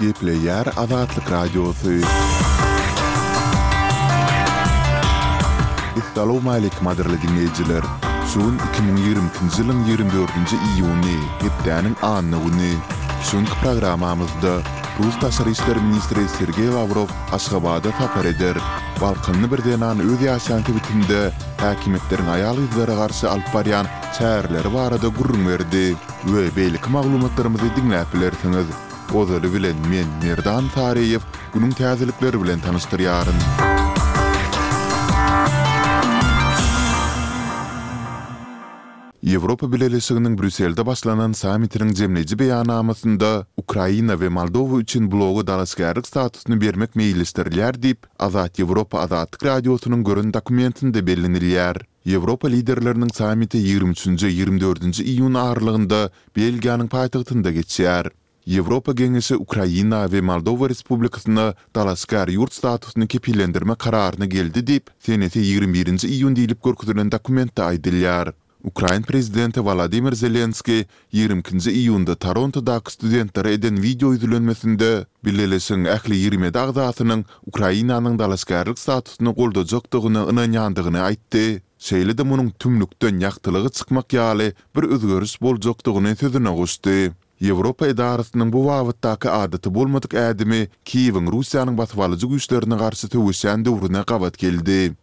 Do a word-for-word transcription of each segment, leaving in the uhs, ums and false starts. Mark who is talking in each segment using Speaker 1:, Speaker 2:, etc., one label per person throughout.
Speaker 1: Gepleýär Azatlyk Radiosy. Essalawmaleýkim gadyrly diňleýjiler! Şu gün iki müň ýigrimi ikinji ýylyň ýigrimi dördünji iýuny, hepdäniň anna güni. Şu günki programmamyzda rus daşary işler ministri Sergeý Lawrow Aşgabada sapar eder. Balkanly bir zenan öz ýaşaýan sebitinde häkimiýetleriň aýal-gyzlara garşy alyp barýan çäreleri barada gürrüň berdi we beýleki maglumatlarymyzy diňläp bilersiňiz. Ozaly bilen men, Merdan Saryýew, günüň täzelikleri bilen tanyşdyrýaryn. Ýewropa Bileleşiginiň Brýusselde başlanan sammitiniň jemleýji beýannamasynda Ukraina we Moldowa üçin bloga dalaşgärlik statusyny bermek meýilleşdirilýär diýip, Azat Ýewropa Azatlyk Radiosynyň gören dokumentinde bellenilýär. Ýewropa liderleriniň sammiti ýigrimi üçünji, ýigrimi dördünji iýun aralygynda Belgiýanyň paýtagtynda geçýär. Ýewropa Geňeşi Ukraina we Moldowa Respublikasyna dalaşgär ýurt statusyny kepillendirmek kararyna geldi diýip, senesi ýigrimi birinji iýun diýlip görkezilen dokumentde aýdylýar. Ukrain prezidenti Wolodymyr Zelenskiý ýigrimi ikinji iýunda Torontodaky studentlere eden wideo ýüzlenmesinde Bileleşigiň ähli ýigrimi ýedi agzasynyň Ukrainanyň dalaşgärlik statusyny goldajakdygyna ynanýandygyny aýtdy, şeýle-de munuň tümlükden ýagtylyga çykmak ýaly bir özgeriş boljakdygyny sözüne goşdy. Ýewropa edarasynyň bu babatdaky adaty bolmadyk ädimi Kiýewiň Russiýanyň basybalyjy güýçlerine garşy söweşýän döwrüne gabat geldi.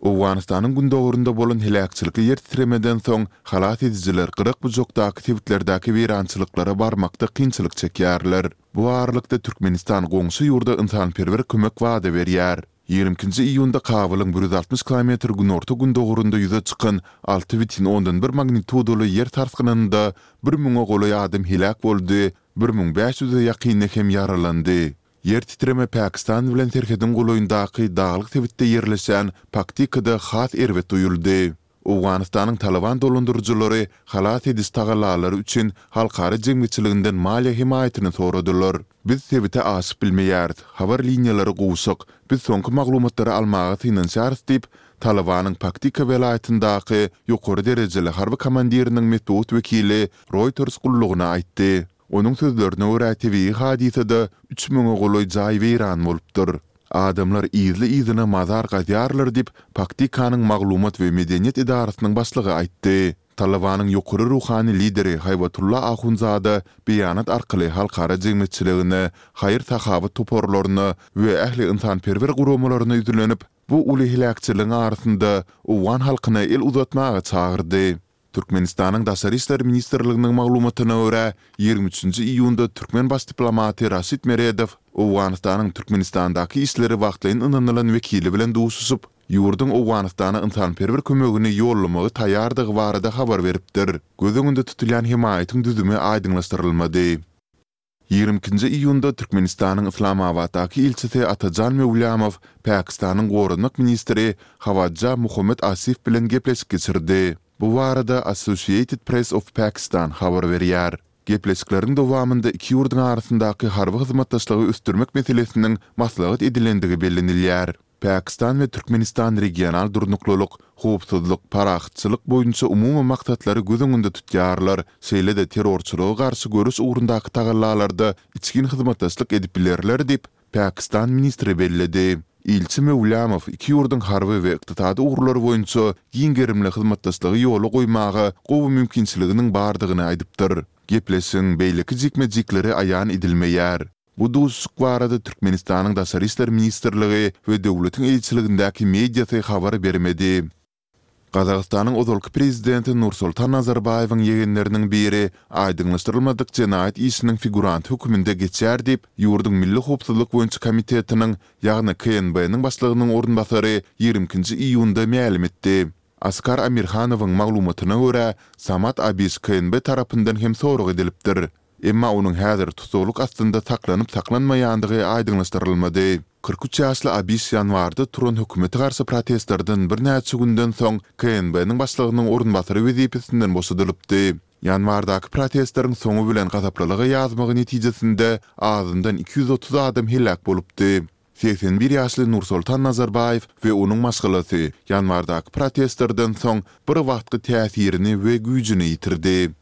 Speaker 1: Owganystanyň gündogarynda bolan heläkçilikli ýer titremeden soň, halas edijiler gyrak-bujakdaky sebitlerdäki weýrançylyklara barmakda kynçylyk çekýärler. Bu aralykda Türkmenistan goňşy ýurda ynsanperwer kömek wada berýär. Ýigrimi ikinji iýunda Kabulyň bir ýüz altmyş kilometr günorta-gündogarynda ýüze çykan alty bütin ondan bir magnitudaly ýer sarsgynynda bir müňe golaý adam heläk boldy, bir müň bäş ýüze ýakyny hem ýaralandy. Ýer titreme Pakistan bilen serhediň golaýyndaky daglyk sebitde ýerleşen Paktikada has erbet duýuldy. Owganystanyň Talyban dolandyryjylary halas ediş tagallalary üçin halkara jemgyýetçiliginden maliýe hemaýatyny soradylar. Biz sebite aşyp bilmeýäris, habar liniýalary gowşak, biz soňky maglumatlary almaga synanyşýarys diýip, Talybanyň Paktika welaýatyndaky ýokary derejeli harby komandiriniň metbugat wekili Reuters gullugyna aýtdy. Onuň sözlerine görä, tebigy hadysada üç müňe golaý jaý weýran bolupdyr. Adamlar yzly-yzyna mazar gazýarlar diýip, Paktikanyň maglumat we medeniýet edarasynyň başlygy aýtdy. Talybanyň ýokary ruhany lideri Haýbatulla Ahundzada beýanat arkaly halkara jemgyýetçiligine, haýyr-sahawat toparlaryna we ähli ynsanperwer guramalaryna ýüzlenip, bu uly heläkçiligiň arasynda owgan halkyna el uzatmaga çagyrdy. Türkmenistanyň Daşary işler ministrliginiň maglumatyna görä, ýigrimi üçünji iýunda türkmen baş diplomaty Raşid Meredow Owganystanyň Türkmenistandaky işleri wagtlaýyn ynanylan wekili bilen duşuşyp, ýurduň Owganystana ynsanperwer kömegini ýollamaga taýýardygy barada habar beripdir. Göz öňünde tutulýan hemaýatyň düzümi aýdyňlaşdyrylmady. Ýigrimi ikinji iýunda Türkmenistanyň Yslamabatdaky ilçisi Atajan Möwlamow Pakistanyň goranmak ministri Hawadja Muhammad Asif bilen gepleşik geçirdi. Bu barada Associated Press of Pakistan habar berýär. Gepleşikleriň dowamynda iki ýurduň arasyndaky harby hyzmatdaşlygy ösdürmek meselesiniň maslahat edilendigi bellenilýär. Pakistan we Türkmenistan regional durnuklylyk, howpsuzlyk, parahatçylyk boýunça umumy maksatlary göz öňünde tutýarlar, şeýle-de terrorçylyga garşy göreş ugrundaky tagallalarda içgin hyzmatdaşlyk edip bilerler diýip, pakistan ministri belledi. Ilçi Möwlamow iki ýurduň harby we ykdysady ugurlar boýunça giň gerimli hyzmatdaşlygy ýola goýmaga gowy mümkinçiliginiň bardygyny aýdypdyr. Gepleşigiň beýleki jikme-jikleri aýan edilmeýär. Bu duşuşyk barada Türkmenistanyň Daşary işler ministrligi we döwletiň eýeçiligindäki mediasy habar bermedi. Gazagystanyň ozalky prezidenti Nursultan Nazarbaýewiň ýegenleriniň biri aýdyňlaşdyrylmadyk jenaýat işiniň figuranty hökmünde geçýär diýip, ýurduň Milli howpsuzlyk boýunça komitetiniň, ýagny KNB-niň başlygynyň orunbasary ýigrimi ikinji iýunda mälim etdi. Askar Amirhanowyň maglumatyna görä, Samat Abiş KNB tarapyndan hem sorag edilipdir. Emma onuň häzir tussaglyk astynda saklanyp-saklanmaýandygy aýdyňlaşdyrylmady. Kyrk üç ýaşly Abiş ýanwarda turan hökümete garşy protestlerden birnäçe günden soň KNB-niň başlygynyň orunbasary wezipesinden boşadylypdy. Ýanwardaky protestleriň soňy bilen gazaplylyga ýazmagy netijesinde azyndan iki ýüz otuz adam heläk bolupdy. Segsen bir ýaşly Nursoltan Nazarbaýew we onuň maşgalasy ýanwardaky protestlerden soň bir wagtky täsirini we güýjüni ýitirdi.